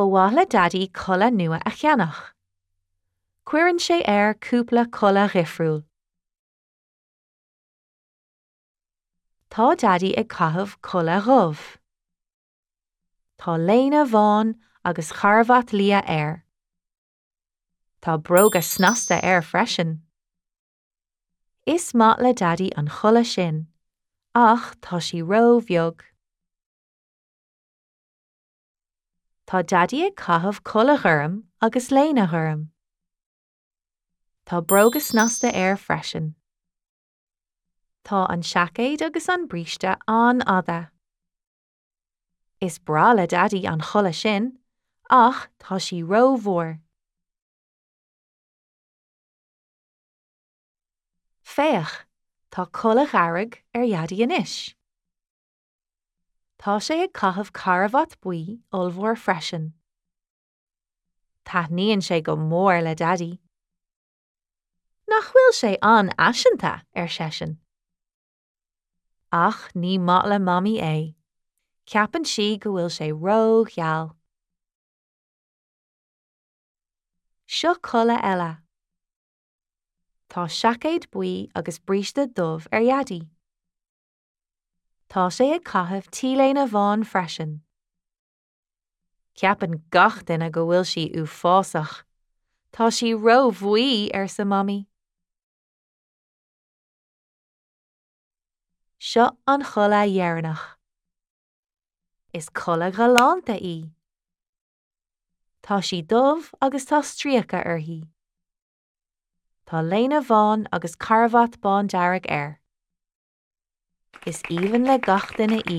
Ba mhaith le Daidí culaith nua a cheannach. Cuireann sé air cúpla culaith dhifriúil. Tá Daidí ag caitheamh culaith dhubh. Tá léine bhán agus carbhat liath air. Tá bróga snasta air freisin. Is maith le Daidí an chulaith sin, ach tá sí ró-bheag. Tá Daidí ag caitheamh culaith ghorm agus léine ghorm. Tá bróga snasta air freisin. Tá an seaicéad agus an bríste an-fhada. Is breá le Daidí an chulaith sin, ach tá sí rómhór. Féach, tá culaith dhearg ar Dhaidí anois. Tá sé ag caitheamh carbhat buí ollmhór freisin. Taitníonn sé go mór le Daidí. Nach bhfuil sé an-fhaiseanta, ar seisean. Ach ní maith le Mamaí é. Ceapann sí go bhfuil sé ró-gheal. Seo culaith eile. Tá seaicéad buí agus bríste dubh ar Dhaidí. Tá sé ag caitheamh t-léine bhán freisin. Ceapann gach duine go bhfuil sí uafásach. Tá sí ró-bhuí, arsa Mamaí. Seo an chulaith dheireanach. Is culaith ghalánta í. Tá sí dubh agus tá stríoca uirthi. Tá léine bhán agus carbhat bándearg air. Is aoibhinn le gach duine í.